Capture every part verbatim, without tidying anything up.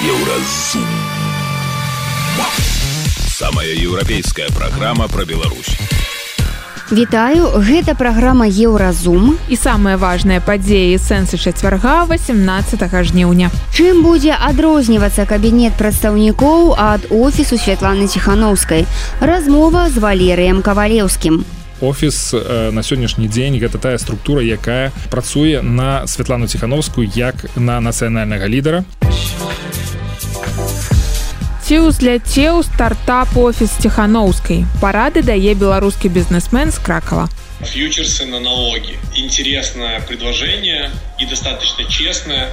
Еўразум. Самая еўрапейская праграма пра Беларусь. Вітаю, гэта праграма Еўразум. І самыя важныя падзеі сэнсы чацвярга васемнаццатага жніўня. Чым будзе адрознівацца кабінет прадстаўнікоў ад офісу Святланы Ціханаўскай? Размова з Валерыем Кавалеўскім. Офіс э, на сённяшні дзень гэта тая структура, якая працуе на Святлану Ціханаўскую як на нацыянальнага лідара. Ці ўзляцеў стартап-офіс Ціханаўскай. Парады дае беларускі бізнесмен з Кракова. Фьючерсы на налоги. Интересное предложение и достаточно честное.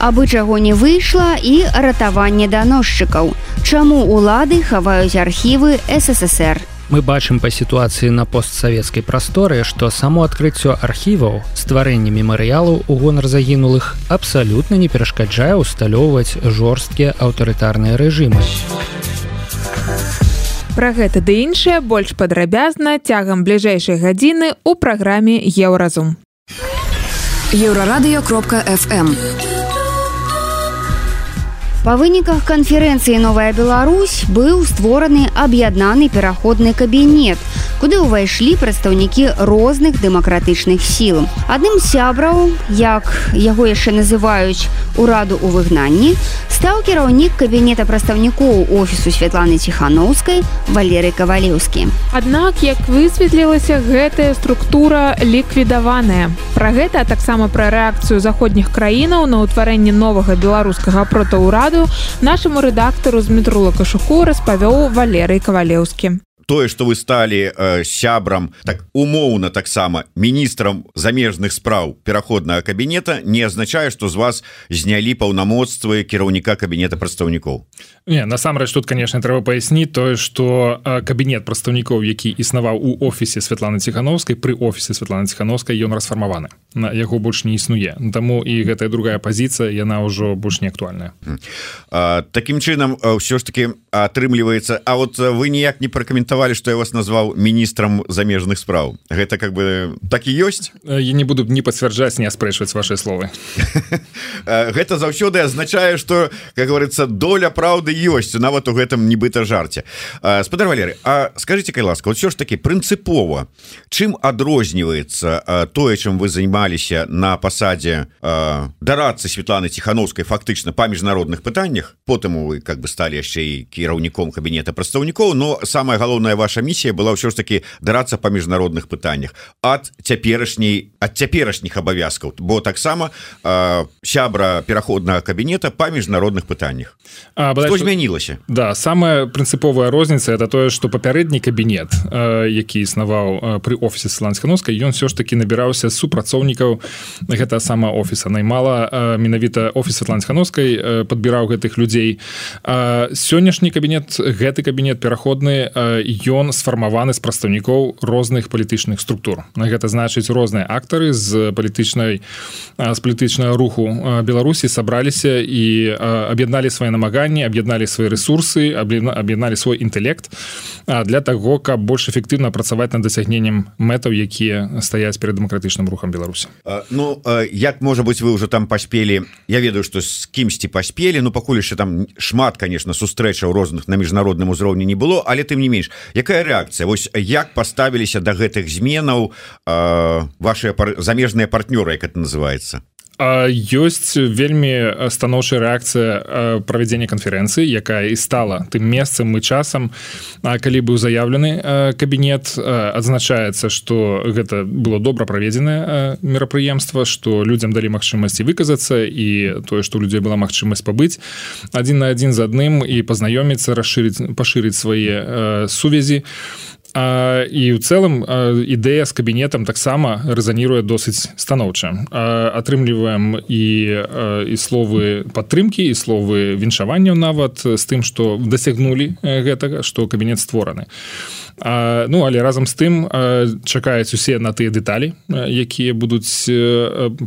Абы чаго не выйшла і ратаванне даносчыкаў. Чаму улады хаваюць архівы эс эс эс эр? Мы бачым па сітуацыі на постсавецкай прасторы, што само адкрыццё архіваў, стварэнне мемарыялаў у гонар загінулых абсалютна не перашкаджае ўсталёўваць жорсткія аўтарытарныя рэжымы. Пра гэта ды іншае больш падрабязна цягам бліжэйшай гадзіны ў праграме Еўразум. еўрарадыё кропка эф эм. Па выніках канферэнцыі «Новая Беларусь» быў створаны аб'яднаны пераходны кабінет, куды ўвайшлі прадстаўнікі розных дэмакратычных сіл. Адным з сябраў, як яго яшчэ называюць ураду ў выгнанні, стаў кіраўнік кабінета прадстаўнікоў офісу Святланы Ціханаўскай Валерый Кавалеўскі. Аднак, як высветлілася, гэтая структура ліквідаваная. Пра гэта, а таксама пра рэакцыю заходніх краінаў на ўтварэнне новага беларускага протаўраду нашаму рэдактару Змітру Лакашуку распавёў Валерый Кавалеўскі. Тое, што вы сталі э, сябрам, так умоўна таксама міністрам замежных спраў пераходнага кабінета, не азначае, што з вас знялі паўнамоцтвы кіраўніка кабінета прадстаўнікоў. Не, насамрэч тут, конечно, трэба паясніць тое, што э, кабінет прадстаўнікоў, які існаваў у офісе Святланы Ціханаўскай, пры офісе Святланы Ціханаўскай, ён расфармаваны. На яго больш не існуе. Таму і гэтая другая пазіцыя, яна ўжо больш не актуальная. А, такім чынам, ўсё ж таки атрымліваецца, а вот вы ніяк не пракаментавалі, что я вас назвал министром замежных спраў. Гэта как бы так і ёсць? Я не буду не пацвярджаць, не аспрэчваць ваши словы. Гэта заўсёды азначае, что, как говорится, доля праўды ёсць, нават у гэтым нібыта жарце. Спадар Валерый, а скажите, кай ласка, вот все ж таки прынцыпова, чым адрозніваецца тое, чым вы займаліся на пасадзе дарадцы Святланы Ціханаўскай фактычна па міжнародных пытаннях, потым вы как бы сталі яшчэ і кіраўніком кабінета прадстаўнікоў, но самае галоўнае ваша місія была ўсё ж таки дарацца па міжнародных пытаннях ад цяперашняй ад цяперашніх абавязкаў, бо таксама э, сябра пераходнага кабінета па міжнародных пытаннях. А, што змянілася? Да, самая прынцыповая розніца это тое, што папярэдні кабінет, э, які існаваў э, пры офісе Святланы Ціханаўскай, ён все ж таки набіраўся супрацоўнікаў гэта сама офіса. Наймала э, менавіта офіс Святланы Ціханаўскай э, падбіраў гэтых людзей. Э, сённяшні кабінет, гэты кабінет пераходны, ён сфармаваны з прадстаўнікоў розных палітычных структур. Гэта значыць, розныя актары з палітычнай з палітычнага руху Беларусі сабраліся і аб'ядналі свае намаганні, аб'ядналі свае рэсурсы, аб'ядналі свой інтэлект для таго, каб больш эфектыўна працаваць над дасягненнем мэтаў, якія стаяць перад дэмакратычным рухам Беларусі. Ну, як, можа быць, вы ўжо там паспелі, я ведаю, што з кімсьці паспелі, ну, пакуль яшчэ там шмат, конечно, сустрэчаў розных на міжнародным узроўні не было, але тым не менш, якая рэакцыя? Вось як паставіліся да гэтых зменаў э, ваши пар... замежныя партнёры, як это называется? Ёсць вельмі станоўчая рэакцыя правядзення канферэнцыі, якая і стала тым месцам і часам, калі быў заяўлены кабінет. Адзначаецца, што гэта было добра праведзенае мерапрыемства, што людзям далі магчымасці выказацца і тое, што у людзей была магчымасць пабыць адзін на адзін з адным і пазнаёміцца, расшырыць, пашырыць свае сувязі. А, і ў цэлым ідэя з кабінетам таксама рэзаніруе досыць станоўча. Атрымліваем і, і словы падтрымкі, і словы віншаванняў нават з тым, што дасягнулі гэтага, што кабінет створаны. А, ну, але разам з тым чакаюць усе на тыя дэталі, якія будуць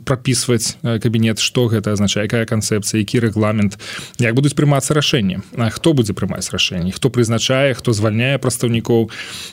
прапісваць кабінет, што гэта азначае, якая канцэпцыя, які рэгламент, як будуць прымацца рашэнні, хто будзе прымаць рашэнні, хто прызначае, хто звальняе прадстаўнікоў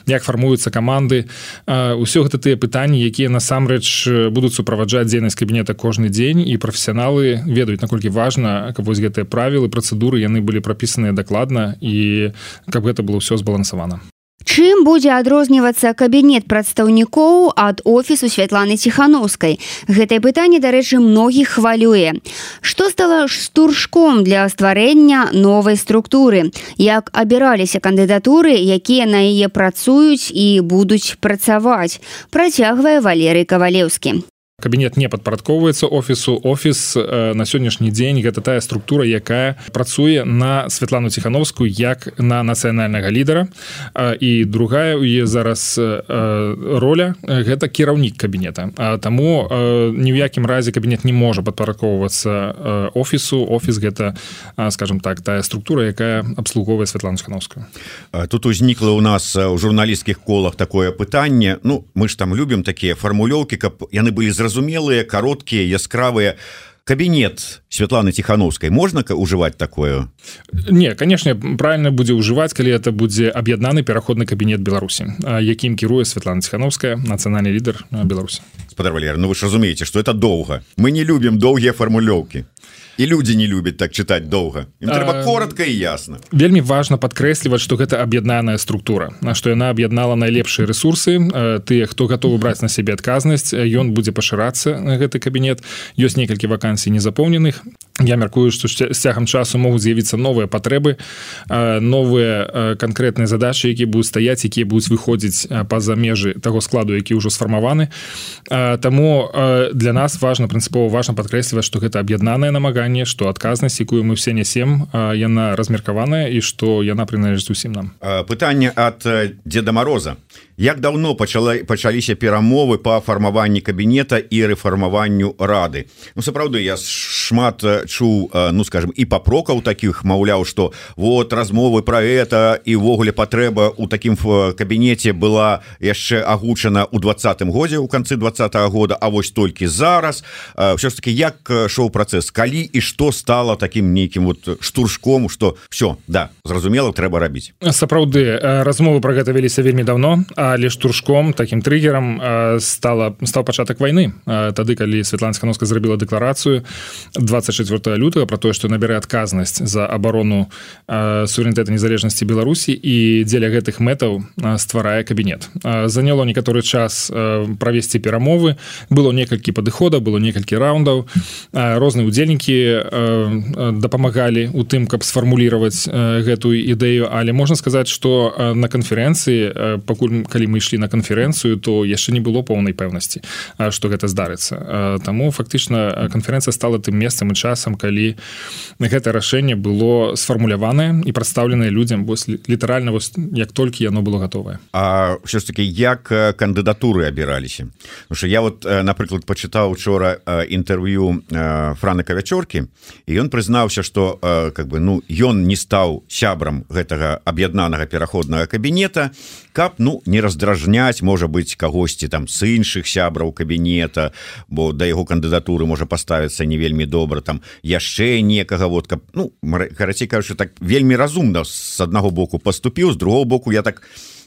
як фармуюцца каманды. Усё гэта тыя пытанні, якія насамрэч будуць суправаджаць дзейнасць кабінета кожны дзень, і прафесіяналы ведаюць, наколькі важна, каб вось гэтыя правілы, працэдуры, яны былі прапісаныя дакладна, і каб гэта было ўсё збалансавана. Чым будзе адрознівацца кабінет прадстаўнікоў ад офісу Святланы Ціханаўскай? Гэтае пытанне, дарэчы, многіх хвалюе. Што стала штуршком для стварэння новай структуры? Як абіраліся кандыдатуры, якія на яе працуюць і будуць працаваць? Працягвае Валерый Кавалеўскі. Кабінет не падпарадкоўваецца офісу. Офіс э, на сённяшні дзень гэта тая структура, якая працуе на Святлану Ціханаўскую як на нацыянальнага лідара. Э, і другая у яе зараз э, роля э, гэта кіраўнік кабінета. А таму э, ні ў якім разе кабінет не можа падпарадкоўвацца э, офісу. Офіс гэта, э, скажем так, тая структура, якая абслугоўвае Святлану Ціханаўскую. Тут узнікла ў нас у журналісцкіх колах такое пытанне. Ну, мы ж там любім такія фармулёўкі, каб яны былі зразумелыя, зразумелыя, кароткія, яскравыя. Кабінет Святланы Ціханаўскай можна ўжываць такое? Не, конечно, правильно будзе ўжываць, калі это будзе аб'яднаны пераходны кабінет Беларусі, якім кіруе Святлана Ціханаўская, нацыянальны лідар Беларусі. Спадар Валерый, ну вы ж разумееце, што это доўга. Мы не любім доўгія фармулёўкі. І людзі не любяць так чытаць доўга. Ім трэба коротка і ясна. Вельмі важна падкрэсліваць, што гэта аб'яднаная структура, што яна аб'яднала найлепшыя рэсурсы, тыя, хто гатовы браць на сябе адказнасць, ён будзе пашырацца, гэты кабінет. Ёсць некалькі вакансій незапоўненых. Я мяркую, што з цягам часу могуць з'явіцца новыя патрэбы, новыя канкрэтныя задачы, якія будуць стаяць, якія будуць выходзіць па-за межы таго складу, які ўжо сфармаваны. Таму для нас важна, прынцыпова важна падкрэсліваць, што гэта аб'яднанае намаганне, што адказнасць, якую мы ўсе нясем, яна размеркаваная і што яна прыналежыць усім нам. Пытанне ад Дзеда Мароза. Як даўно пачала, пачаліся перамовы па фармаванні кабінета і рэфармаванню рады? Ну, сапраўды, я шмат чуў, ну, скажем, і папрокаў такіх, маўляў, што вот размовы пра гэта і ўвогуле патрэба ў такім кабінеце была яшчэ агучана ў двадцатым годзе, у канцы двадцатага года, а вось толькі зараз. Ўсё ж таки, як шоў працэс? Калі і што стала такім нейкім вот штуршком, што все, да, зразумела, трэба рабіць? Сапраўды, размовы пра гэта веліся вельмі давно, але штуршком, такім трыгерам стала, стаў пачатак вайны. Тады, калі Святлана Ціханаўская зрабіла дэкларацыю двадцать четвёртого лютага пра тое, што набярэ адказнасць за абарону суверэнітэта незалежнасці Беларусі і дзеля гэтых мэтаў стварае кабінет. Заняло некаторы час правесці перамовы, было некалькі падыходаў, было некалькі раундаў, розныя удзельнікі дапамагалі у тым, каб сфармулировать гэтую ідэю, але можна сказаць, што на канферэнцыі, пакуль калі мы ішлі на канферэнцыю, то яшчэ не было поўнай пэўнасці, што гэта здарыцца. Таму фактычна канферэнцыя стала тым месцам і часам, калі гэта рашэнне было сфармуляванае і прадстаўленае людзям вось літаральна вось як толькі яно было гатовае. А ўсё ж таки, як кандыдатуры абіраліся? Потому что я вот, напрыклад, пачытаў учора інтэрв'ю Франа Кавячоркі, і ён прызнаўся, што как бы, ну, ён не стаў сябрам гэтага аб'яднанага пераходнага кабінета, каб, ну, не раздражняць, можа быць, кагосьці там з іншых сябраў кабінета, бо да яго кандыдатуры можа паставіцца не вельмі добра, там яшчэ некага, вот, каб, ну, карацей кажучы, так вельмі разумна з аднаго боку паступіў, з другого боку я так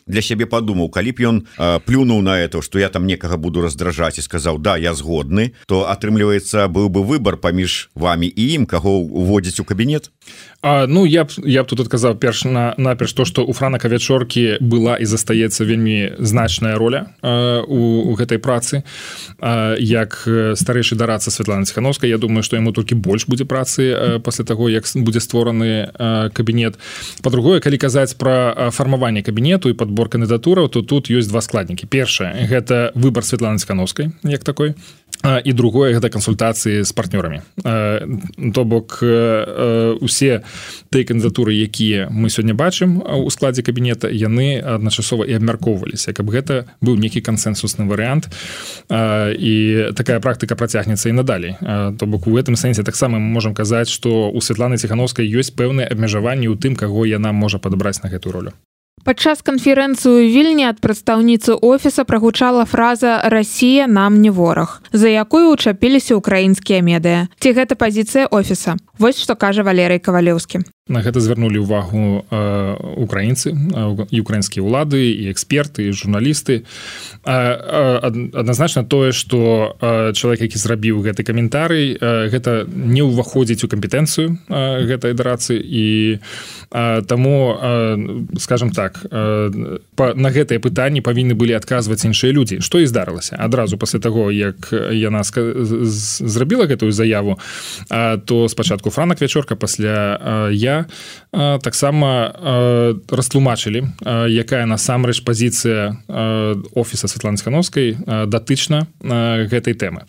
для сябе падумаў, калі б ён э, плюнуў на это, што я там некага буду раздражаць і сказаў, да, я згодны, то атрымліваецца, быў бы выбар паміж вамі і ім, каго уводзіць у кабінет? А, ну, я б, я б тут адказаў перш на, наперш то, што у Франа Кавячоркі была і застаецца вельмі значная роля э, у, у гэтай працы. Э, як старэйшы дарадца Святланы Ціханаўскай, я думаю, што яму толькі больш будзе працы э, пасля таго, як будзе створаны э, кабінет. Па-другое, калі казаць пра фармаванне кабінету і падбор кандыдатураў, то тут ёсць два складнікі. Першае, гэта выбар Святланы Ціханаўскай, як такой. І другое, гэта кансультацыі з партнёрамі. То бок, усе тыя кандыдатуры, якія мы сёння бачым у складзе кабінета, яны адначасова і абмяркоўваліся, каб гэта быў нейкі кансэнсусны варыянт. І такая практыка працягнецца і надалей. То бок, у гэтым сэнсе таксама мы можам казаць, што у Святланы Ціханаўскай ёсць пэўныя абмежаванні ў тым, каго яна можа падабраць на гэтую ролю. Падчас канферэнцыі ў Вільні ад прадстаўніцы офіса прагучала фраза «Расія нам не вораг», за якую учапіліся ўкраінскія медыя. Ці гэта пазіцыя офіса? Вось што кажа Валерый Кавалеўскі. На гэта звярнулі ўвагу украінцы, і украінскія ўлады, і эксперты, і журналісты. Адназначна тое, што чалавек, які зрабіў гэты каментарый, гэта не ўваходзіць у кампетэнцыю гэтай адарацыі, і таму, скажем так, на гэтыя пытанні павінны былі адказваць іншыя людзі. Што і здарылася? Адразу пасля таго, як яна зрабіла гэтую заяву, то спачатку Франак Вячорка, пасля я таксама растлумачылі, якая насамрэч пазіцыя офіса Святланы Ціхановскай датычна гэтай тэмы.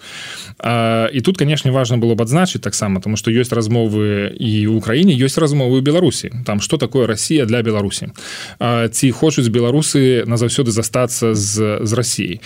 І тут, канешне, важна было б адзначыць таксама, тому што ёсць размовы і ў Украіне, ёсць размовы ў Беларусі. Там, што такое Расія для Беларусі? Ці хочуць беларусы назаўсёды застацца з, з Расіяй?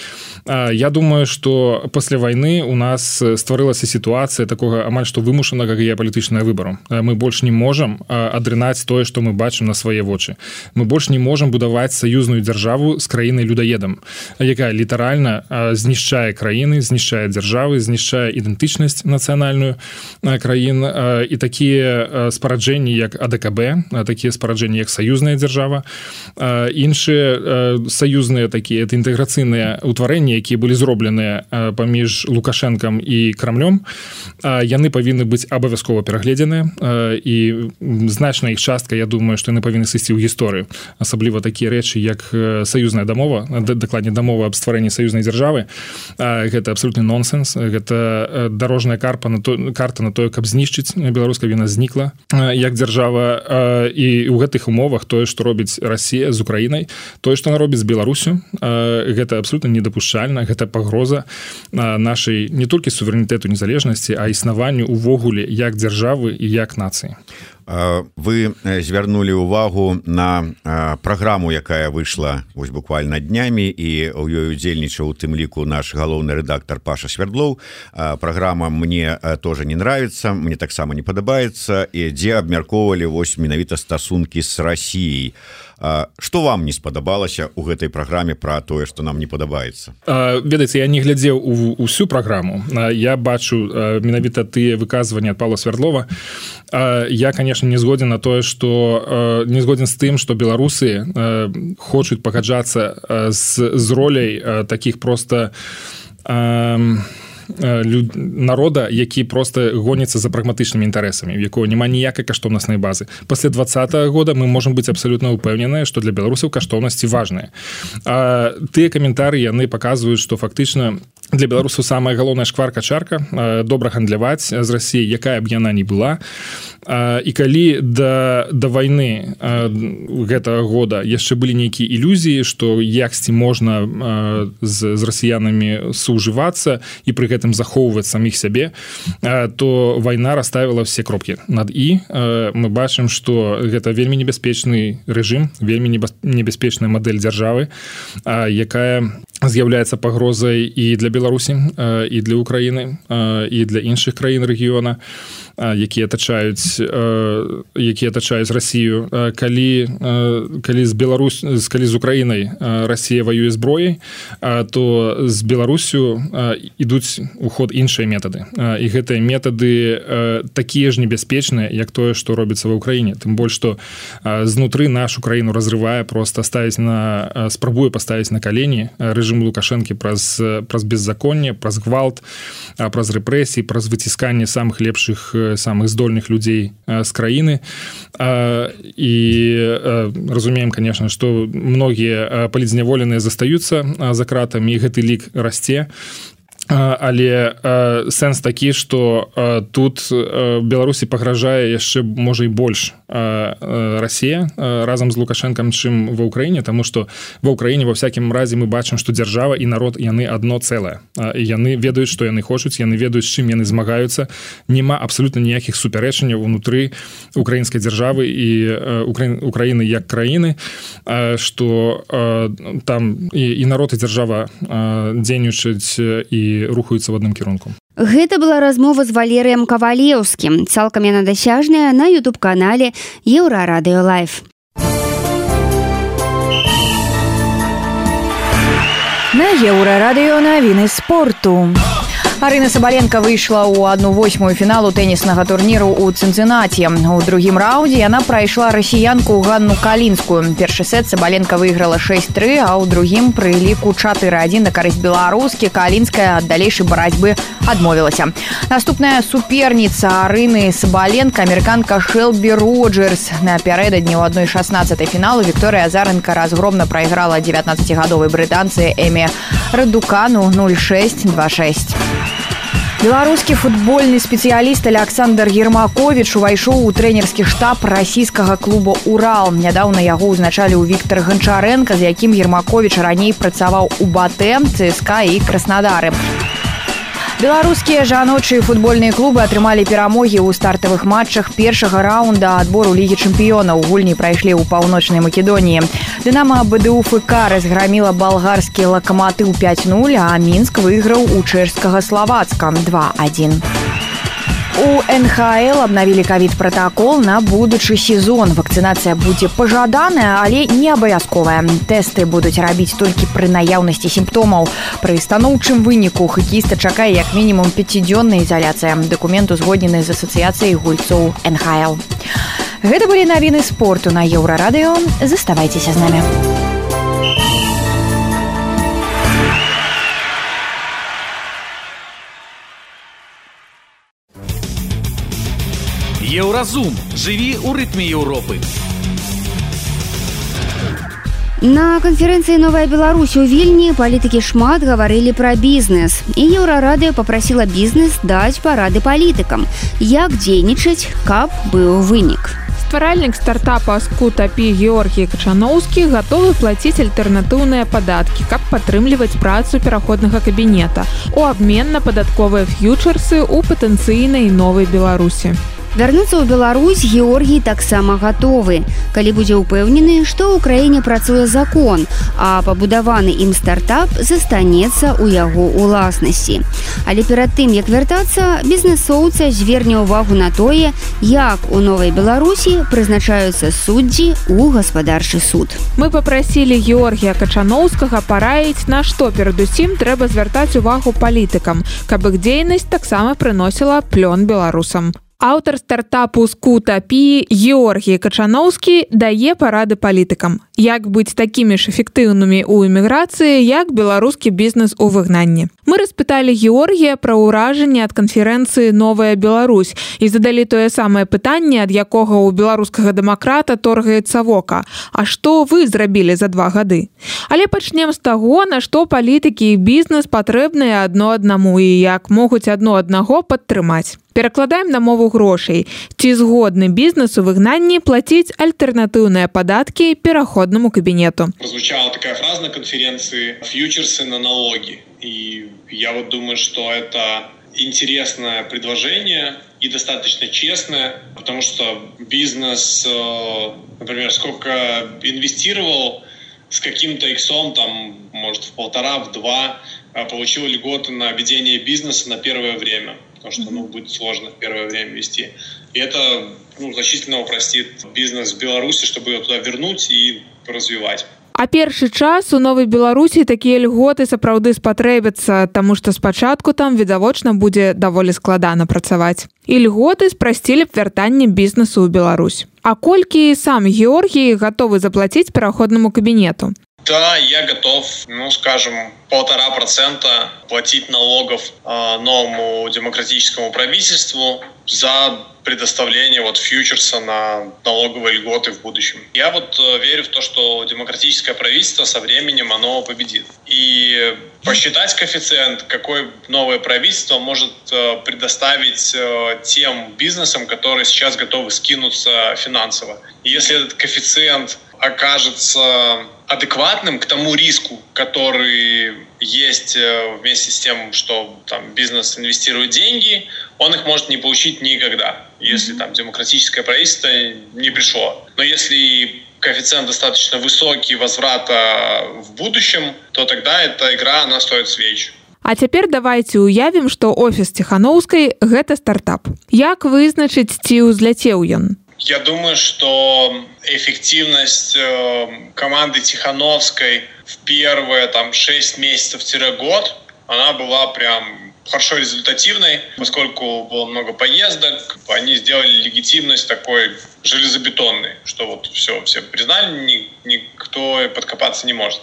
Я думаю, што пасля вайны у нас стварылася сітуацыя такога амаль што вымушанага геапалітычнага выбару. Мы больш не можам адрынаць тое, што мы бачым на свае вочы. Мы больш не можам будаваць саюзную дзяржаву з краінай-людоедам, якая літаральна знішчае краіны, знішчае дзяржавы, знішчае ідэнтычнасць нацыянальную краін. І такія спараджэнні, як А Дэ Ка Бэ, такія спараджэнні, як саюзная дзяржава, іншыя саюзныя такія, это інтэграцыйныя ўтварэнні, якія былі зробленыя паміж Лукашэнкам і Крамлём, яны павінны быць абавязкова перагледзеныя, і значная іх частка, я думаю, што яны павінны сысці ў гісторыю. Асабліва такія рэчы, як саюзная дамова, дакладней дамова аб стварэнні саюзнай дзяржавы. Гэта абсалютны нонсенс, гэта дарожная карта на то, карта на тое, каб знішчыць беларуска, яна знікла як дзяржава. І ў гэтых умовах тое, што робіць Расія з Украінай, тое, што она робіць з Беларусю, гэта абсалютна недапушчальна, гэта пагроза нашай не толькі суверэнітэту, незалежнасці, а існаванню увогуле як дзяржавы і як нацыі. Вы звярнулі ўвагу на праграму, якая выйшла вось буквально днямі, і ў ёй удзельнічаў у тым ліку наш галоўны рэдактар Паша Свердлоў. Праграма мне тоже не нравится, мне таксама не падабаецца, і дзе абмяркоўвалі вось менавіта стасункі з Расіяй. Што вам не спадабалася ў гэтай праграме пра тое, што нам не падабаецца? Ведаеце, я не глядзеў у ўсю праграму. Я бачу менавіта тыя выказванні ад Павла Свердлова. Я, конечно, не згоден на тое, што не згоден з тым, што беларусы хочуць пагаджацца з, з роляй такіх проста народа, які просто гоніцца за прагматычнымі інтарэсамі, у якого няма ніякай каштоўнаснай базы. Пасля двадцатага года мы можам быць абсалютна ўпэўненыя, што для беларусаў каштоўнасці важныя. А тыя каментары, яны паказваюць, што фактычна для беларусаў самая галоўная шкварка-чарка добра гандляваць з Расіяй, якая б яна ні была. І калі да, да вайны гэтага года яшчэ былі нейкія ілюзіі, што яксьці можна з, з расіянамі сужывацца і пры гэтым захоўваць саміх сябе, то вайна расставіла все кропкі над і. Мы бачым, што гэта вельмі небяспечны рэжым, вельмі небяспечная мадэль дзяржавы, якая з'яўляецца пагрозай і для Беларусі, і для Украіны, і для іншых краін рэгіёна, якія атачаюць якія атачаюць Расію. Калі, калі з Беларусь, калі з Украінай Расія ваюе зброяй, то з Беларусю ідуць у ход іншыя метады. І гэтыя метады такія ж небяспечныя, як тое, што робіцца ва Ўкраіне. Тым больш, што знутры нашу краіну разрывае, проста ставіць на, спрабуе паставіць на калені рэжым Лукашэнкі праз, праз беззаконне, праз гвалт, праз рэпрэсіі, праз выцісканне самых лепшых, самых здольных людзей з краіны. І разумеем, конечно, што многія палітзняволеныя застаюцца за кратамі, і гэты лік расце. Але сэнс такі, што тут Беларусі пагражае яшчэ, можа, і больш Расія разам з Лукашэнкам, чым ва Ўкраіне, таму што ва Ўкраіне ва всякім разе мы бачым, што дзяржава і народ, яны адно цэлае. І яны ведаюць, што яны хочуць, яны ведаюць, з чым яны змагаюцца. Нема абсалютна ніякіх супярэчанняў унутры украінскай дзяржавы і Украіны як краіны, што там і, і народ, і дзяржава дзейнічаюць і рухаюцца в адным кірунку. Гэта была размова з Валерыем Кавалеўскім. Цалкам яна дасяжная на ютуб-канале Еўрарадыё Лайф. На Еўрарадыё навіны спорту. Арына Сабаленко выйшла ў одну восьмую фіналу тэніснага турніру ў Цінцынаці. У другім раўндзе яна прайшла расіянку Ганну Калінскую. Першы сет Сабаленко выйграла шэсць тры, а ў другім пры ліку чатыры адзін на карысць беларускі Калінская ад далейшай барацьбы адмовілася. Наступная суперніца Арыны Сабаленко, амерыканка Шэлбі Роджерс. Напярэдадні ў адной шаснаццатай фіналу Вікторыя Азарэнка разгромна прайграла дзевятнаццацігадовай брытанцы Эмі Радукану нуль шэсць два шэсць. Беларускі футбольны спецыяліст Александр Ермакович увайшоў у трэнерскі штаб расійскага клуба «Урал». Нядаўна яго ўзначалі ў Віктор Гончаренко, з якім Ермакович раней працаваў у БАТЭ, ЦСКА і Краснадары. Беларускія жаночыя футбольныя клубы атрымалі перамогі ў стартавых матчах першага раунда адбору Лігі чэмпіёнаў. Гульні прайшлі ў паўночнай Македоніі. Дынамо БДУ-ФК разграміла балгарскі Лакаматыў пяць нуль, а Мінск выйграў у чэшскага Славацка два адзін. У эн ха эл обновили ковид-протокол на будучы сезон. Вакцинация будзе пажаданая, але не абавязковая. Тесты будуць рабіць толькі пры наяўнасці сімптомаў. Пры станоўчым выніку хакеіста чакае як мінімум пяцідзённая ізаляцыя. Дакумент узгоднены з асацыяцыяй гульцоў эн ха эл. Гэта былі навіны спорту на Еўрарадыё. Заставайцеся з намі. Еўразум. Жыві ў рытме Еўропы. На канферэнцыі «Новая Беларусь» у Вільні палітыкі шмат гаварылі пра бізнес. І Еўрарадыё папрасіла бізнес даць парады палітыкам, як дзейнічаць, каб быў вынік. Стваральнік стартапа «Скутапі» Георгій Качаноўскі гатовы плаціць альтэрнатыўныя падаткі, каб падтрымліваць працу пераходнага кабінета у абмен на падатковыя ф'ючерсы ў патэнцыйнай новай Беларусі. Вярнуцца ў Беларусь Георгій таксама гатовы, калі будзе ўпэўнены, што ў краіне працуе закон, а пабудаваны ім стартап застанецца ў яго ўласнасці. Але перад тым, як вяртацца, бізнесоўца зверне ўвагу на тое, як у Новай Беларусі прызначаюцца суддзі ў гаспадарчы суд. Мы папрасілі Георгія Качаноўскага параіць, на што перадусім трэба звяртаць увагу палітыкам, каб іх дзейнасць таксама прыносіла плён беларусам. Аўтар стартапу «Скутапі» Георгій Качаноўскі дае парады палітыкам, як быць такімі ж эфектыўнымі ў эміграцыі, як беларускі бізнес у выгнанні. Мы распыталі Георгія пра ўражанне ад канферэнцыі «Новая Беларусь» і задалі тое самае пытанне, ад якога ў беларускага дэмакрата торгаецца вока. А што вы зрабілі за два гады? Але пачнем з таго, на што палітыкі і бізнес патрэбныя адно аднаму і як могуць адно аднаго падтрымаць. Перакладаем на мову грошай. Ці згодны бізнес у выгнанні плаціць альтэрнатыўныя падаткі пераходнаму кабінету? Прозвучала такая фраза на конференции «Фьючерсы на налоги». И я вот думаю, что это интересное предложение и достаточно честное, потому что бизнес, например, сколько инвестировал, с каким-то иксом, там, может, в полтора, в два, получил льготы на ведение бизнеса на первое время. Потому что ну, будет сложно в первое время вести. И это ну, значительно упростит бизнес в Беларуси, чтобы его туда вернуть и развивать. А першы час у Новай Беларусі такія льготы сапраўды спатрэбяцца, таму што спачатку там відавочна будзе даволі складана працаваць. І льготы спрасцілі б вяртанне бізнесу ў Беларусь. А колькі сам Георгій гатовы заплаціць пераходнаму кабінету? Да, я готов, ну, скажем, полтора процента платить налогов э, новому демократическому правительству за предоставление вот фьючерса на налоговые льготы в будущем. Я вот э, верю в то, что демократическое правительство со временем оно победит. И посчитать коэффициент, какой новое правительство может э, предоставить э, тем бизнесам, которые сейчас готовы скинуться финансово. И если этот коэффициент окажется адекватным к тому риску, который есть вместе с тем, что там бизнес инвестирует деньги, он их может не получить никогда, если там демократическое правительство не пришло. Но если коэффициент достаточно высокий возврата в будущем, то тогда эта игра, она стоит свеч. А цяпер давайте уявім, што офіс Ціханаўскай – гэта стартап. Як вызначыць, ці ўзляцеў ён? Я думаю, что эффективность э, команды Тихановской в первые там шесть месяцев-год, она была прям хорошо результативной, поскольку было много поездок, они сделали легитимность такой железобетонной, что вот все, все признали, никто подкопаться не может.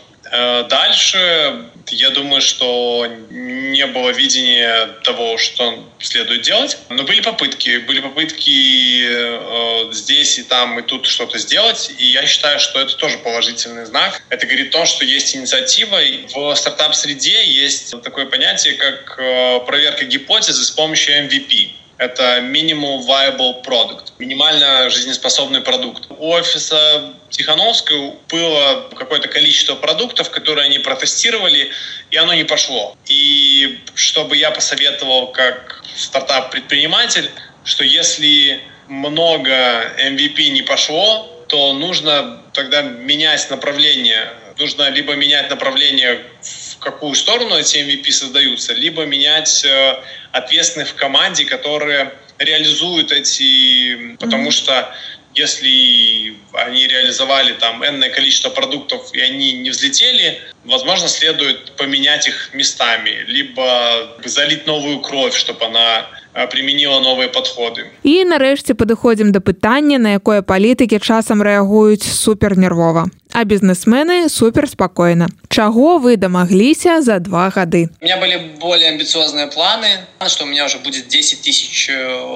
Дальше, я думаю, что не было видения того, что следует делать. Но были попытки. Были попытки э, здесь и там, и тут что-то сделать. И я считаю, что это тоже положительный знак. Это говорит о том, что есть инициатива. В стартап-среде есть такое понятие, как э, проверка гипотезы с помощью эм ви пи. Это Minimum Viable Product, минимально жизнеспособный продукт. У офиса Тихановской было какое-то количество продуктов, которые они протестировали, и оно не пошло. И чтобы я посоветовал как стартап-предприниматель, что если много эм ви пи не пошло, то нужно тогда менять направление. Нужно либо менять направление, в какую сторону эти эм ви пи создаются, либо менять э, ответственных в команде, которые реализуют эти... Потому mm-hmm. что если они реализовали там энное количество продуктов, и они не взлетели, возможно, следует поменять их местами, либо залить новую кровь, чтобы она применила новые подходы. І нарешті підходимо до питання, на якое політики часом реагують супернервово, а бізнесмени суперспокійно. Чего вы домоглися за два года? У меня были более амбициозные планы, что у меня уже будет десять тысяч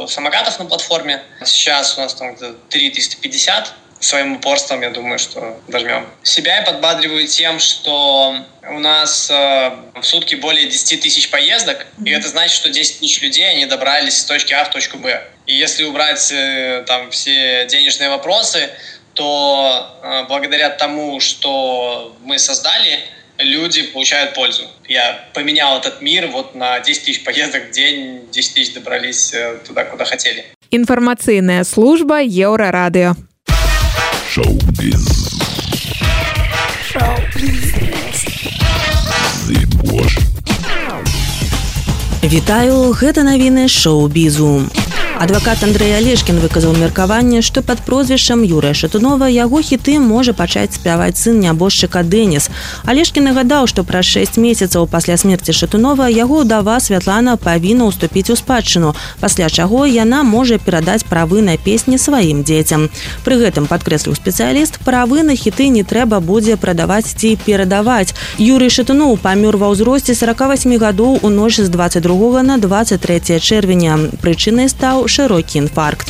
самокатов на платформе. Сейчас у нас там три тысячи триста пятьдесят. Своим упорством, я думаю, что дожмем. Себя я подбадриваю тем, что у нас э, в сутки более десять тысяч поездок, mm-hmm. и это значит, что десять тысяч людей, они добрались с точки А в точку Б. И если убрать э, там все денежные вопросы, то э, благодаря тому, что мы создали, люди получают пользу. Я поменял этот мир вот на десять тысяч поездок в день, десять тысяч добрались э, туда, куда хотели. Информационная служба Еврорадио. Шоу-биз. Шоу-биз. Вітаю, гэта навіны шоу-бізу. Адвакат Андрэй Алешкін выказаў меркаванне, што пад прозвішчам Юрыя Шатунова яго хіты можа пачаць спяваць сын нябожчыка Дэніс. Алешкін нагадаў, што праз шэсць месяцаў пасля смерці Шатунова яго ўдава Святлана павінна ўступіць у спадчыну, пасля чаго яна можа перадаць правы на песні сваім дзецям. Пры гэтым, падкрэсліў спецыяліст, правы на хіты не трэба будзе прадаваць ці перадаваць. Юрый Шатуноў памёр ва ўзросце сорок восемь гадоў у ноч з двадцать другога на двадцать трэцяе чэрвеня. Прычынай стаў широкі інфаркт.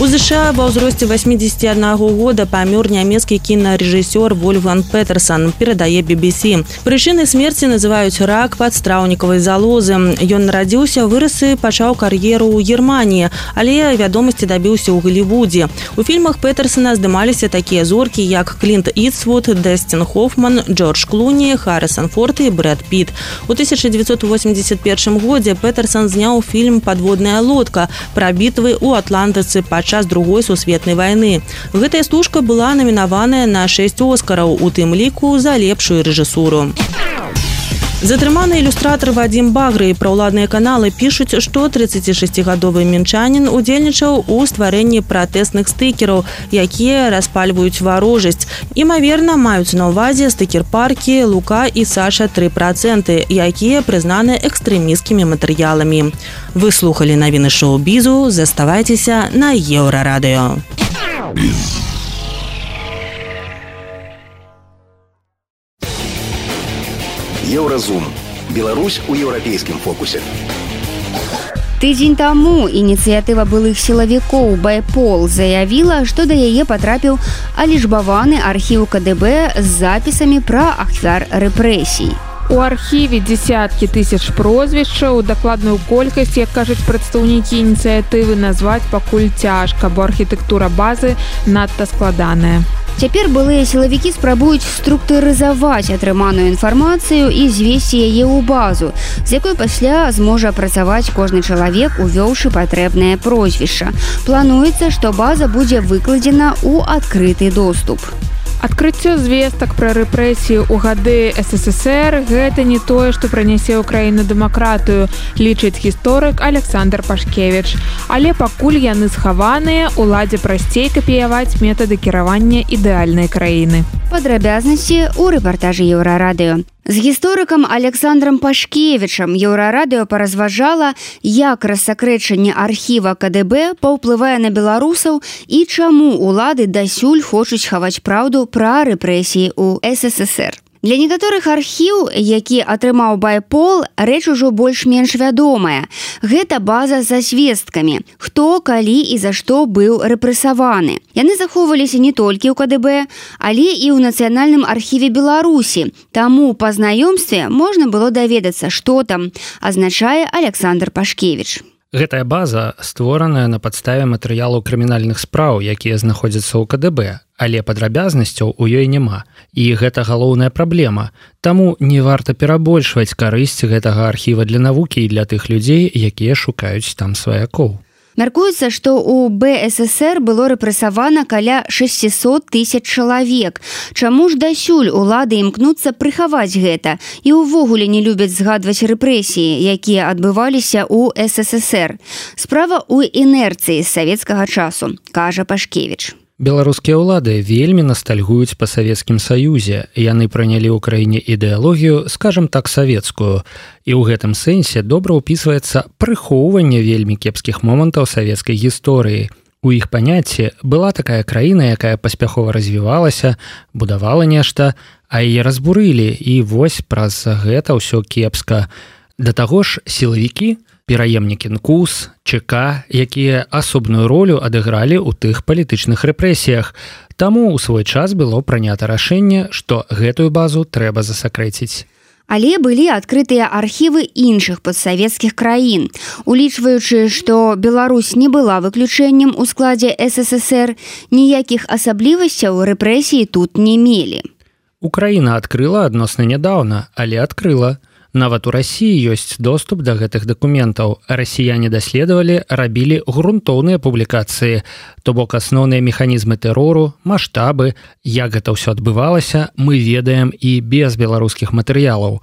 У США ва ўзросце восьмидесяти одного года памёр нямецкі кінарэжысёр Вольфганг Петерсон, перадае би би си. Прычынай смерці называюць рак падстраўнікавай залозы. Ён нарадзіўся, вырас і пачаў кар'еру ў Германіі, але вядомасці дабіўся ў Голлівудзе. У фільмах Петерсона здымаліся такія зоркі, як Клінт Іствуд, Дастин Хоффман, Джордж Клуні, Харрисон Форд і Брэд Піт. У тысяча девятьсот восемьдесят первом годзе Петерсон зняў фільм «Падводная лодка» пра бітвы ў Атлантыцы падчас час другой сусветнай вайны. Гэтая стужка была намінаваная на шэсць оскараў, у тым ліку за лепшую рэжысуру. Затрыманы ілюстратар Вадзім Багры і праўладныя каналы пішуць, што тридцатишестигадовы мінчанін удзельнічаў у стварэнні пратэсных стыкераў, якія распальваюць варожасць. Імаверна, маюць на ўвазе стыкер-паркі «Лука» і «Саша» три процента, якія прызнаны экстрэмісцкімі матэрыяламі. Вы слухалі навіны шоу-бізу, заставайцеся на Еўрарадыё. Еўразум. Беларусь у еўрапейскім фокусе. Тыдзень таму ініцыятыва былых сілавікоў «Байпол» заявіла, што да яе патрапіў алічбаваны архіў ка дэ бэ з запісамі пра ахвяр рэпрэсій. У архіве десятки тысяч прозвішчаў, дакладную колькасць, як кажуць прадстаўнікі ініцыятывы, назваць пакуль цяжка, бо архітэктура базы надта складаная. Цяпер былыя сілавікі спрабуюць структурызаваць атрыманую інфармацыю і звесці яе ў базу, з якой пасля зможа працаваць кожны чалавек, увёўшы патрэбнае прозвішча. Плануецца, што база будзе выкладзена ў адкрыты доступ. Адкрыццё звестак пра рэпрэсіі ў гады эс эс эс эр – гэта не тое, што прынясе ў краіну дэмакратыю, лічыць гісторык Александр Пашкевіч. Але пакуль яны схаваныя, уладзе прасцей капіяваць метады кіравання ідэальнай краіны. Падрабязнасці ў рэпартажы Еўрарадыё. З гісторыкам Александром Пашкевічам Еўрарадыё паразважала, як рассакрэчанне архіва ка дэ бэ паўплывае на беларусаў і чаму улады дасюль хочуць хаваць праўду пра рэпрэсіі ў эс эс эс эр. Для некаторых архіў, які атрымаў байпол, рэч ужо больш-менш вядомая. Гэта база са звесткамі, хто, калі і за што быў рэпрэсаваны. Яны захоўваліся не толькі ў ка дэ бэ, але і ў Нацыянальным архіве Беларусі. Таму па знаёмстве можна было даведацца, што там, азначае Александр Пашкевіч. Гэтая база створаная на падставе матэрыялаў крымінальных спраў, якія знаходзяцца ў ка дэ бэ, але падрабязнасцяў у ёй няма. І гэта галоўная праблема. Таму не варта перабольшваць карысць гэтага архіва для навукі і для тых людзей, якія шукаюць там сваякоў. Мяркуецца, што ў бэ эс эс эр было рэпрэсавана каля шэсцьсот тысяч чалавек. Чаму ж дасюль улады імкнуцца прыхаваць гэта і ўвогуле не любяць згадваць рэпрэсіі, якія адбываліся ў эс эс эс эр? Справа ў інерцыі з савецкага часу, кажа Пашкевіч. Беларускія ўлады вельмі настальгуюць па Савецкім Саюзе. Яны прынялі ў краіне ідэалогію, скажам так, савецкую. І ў гэтым сэнсе добра ўпісваецца прыхоўванне вельмі кепскіх момантаў савецкай гісторыі. У іх паняцці была такая краіна, якая паспяхова развівалася, будавала нешта, а яе разбурылі, і вось праз гэта ўсё кепска. Да таго ж сілавікі, пераемнікі эн ку эс, че ка, якія асобную ролю адыгралі ў тых палітычных рэпрэсіях. Таму ў свой час было прынята рашэнне, што гэтую базу трэба засакрэціць. Але былі адкрытыя архівы іншых падсавецкіх краін. Улічваючы, што Беларусь не была выключэннем у складзе эс эс эс эр, ніякіх асаблівасцяў рэпрэсіі тут не мелі. Украіна адкрыла адносна нядаўна, але адкрыла. Нават у Расіі ёсць доступ да гэтых дакументаў. Расіяне даследавалі, рабілі грунтоўныя публікацыі, то бок асноўныя механізмы тэрору, маштабы, як гэта ўсё адбывалася, мы ведаем і без беларускіх матэрыялаў.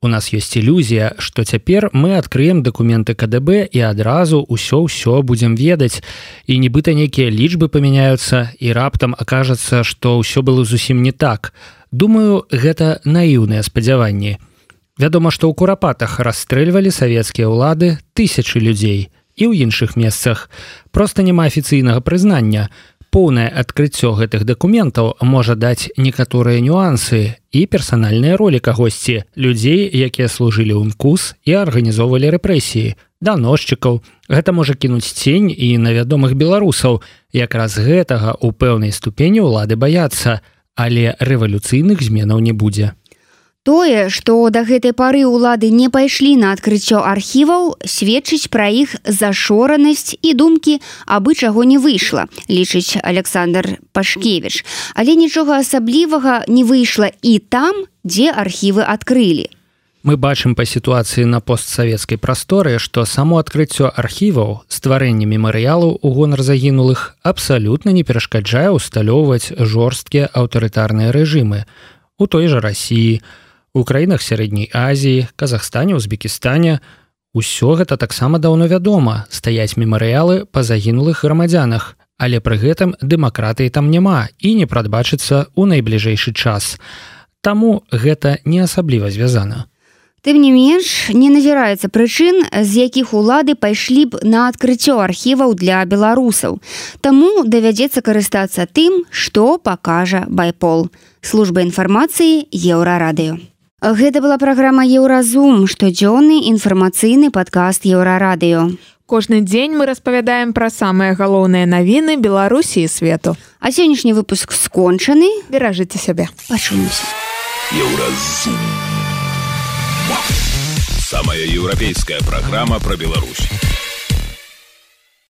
У нас ёсць ілюзія, што цяпер мы адкрыем дакументы ка дэ бэ і адразу ўсё-ўсё будзем ведаць, і нібыта нейкія лічбы памяняюцца, і раптам акажацца, што ўсё было зусім не так. Думаю, гэта наіўныя спадзяванні. Вядома, што ў Курапатах расстрэльвалі савецкія ўлады тысячы людзей і ў іншых месцах. Проста няма афіцыйнага прызнання. Поўнае адкрыццё гэтых дакументаў можа даць некаторыя нюансы і персанальныя ролі кагосьці, людзей, якія служылі ў эн ку эс і арганізоўвалі рэпрэсіі, даносчыкаў. Гэта можа кінуць цень і на вядомых беларусаў. Якраз гэтага ў пэўнай ступені ўлады баяцца, але рэвалюцыйных зменаў не будзе. Тое, што да гэтай пары ўлады не пайшлі на адкрыццё архіваў, сведчыць пра іх зашоранасць і думкі, абы чаго не выйшла, лічыць Александр Пашкевіч. Але нічога асаблівага не выйшла і там, дзе архівы адкрылі. Мы бачым па сітуацыі на постсавецкай прасторы, што само адкрыццё архіваў, стварэнне мемарыялаў у гонар загінулых абсалютна не перашкаджае усталёўваць жорсткія аўтарытарныя рэжымы. У той жа Расіі, у краінах Сярэдняй Азіі, Казахстане, Узбекістане. Усё гэта таксама даўно вядома, стаяць мемарыялы па загінулых грамадзянах, але пры гэтым дэмакратыі там няма і не прадбачыцца ў найбліжэйшы час. Таму гэта не асабліва звязана. Тым не менш, не назіраецца прычын, з якіх улады пайшлі б на адкрыццё архіваў для беларусаў. Таму давядзецца карыстацца тым, што пакажа байпол. Служба інфармацыі Еўрарадыё. Гэта была праграма Еўразум, штодзённы інфармацыйны падкаст Еўрарадыё. Кожны дзень мы распавядаем пра самыя галоўныя навіны Беларусі і свету. А сённяшні выпуск скончаны. Беражыце сябе. Пачуемся. Еўразум. Самая еўрапейская программа про Беларусь.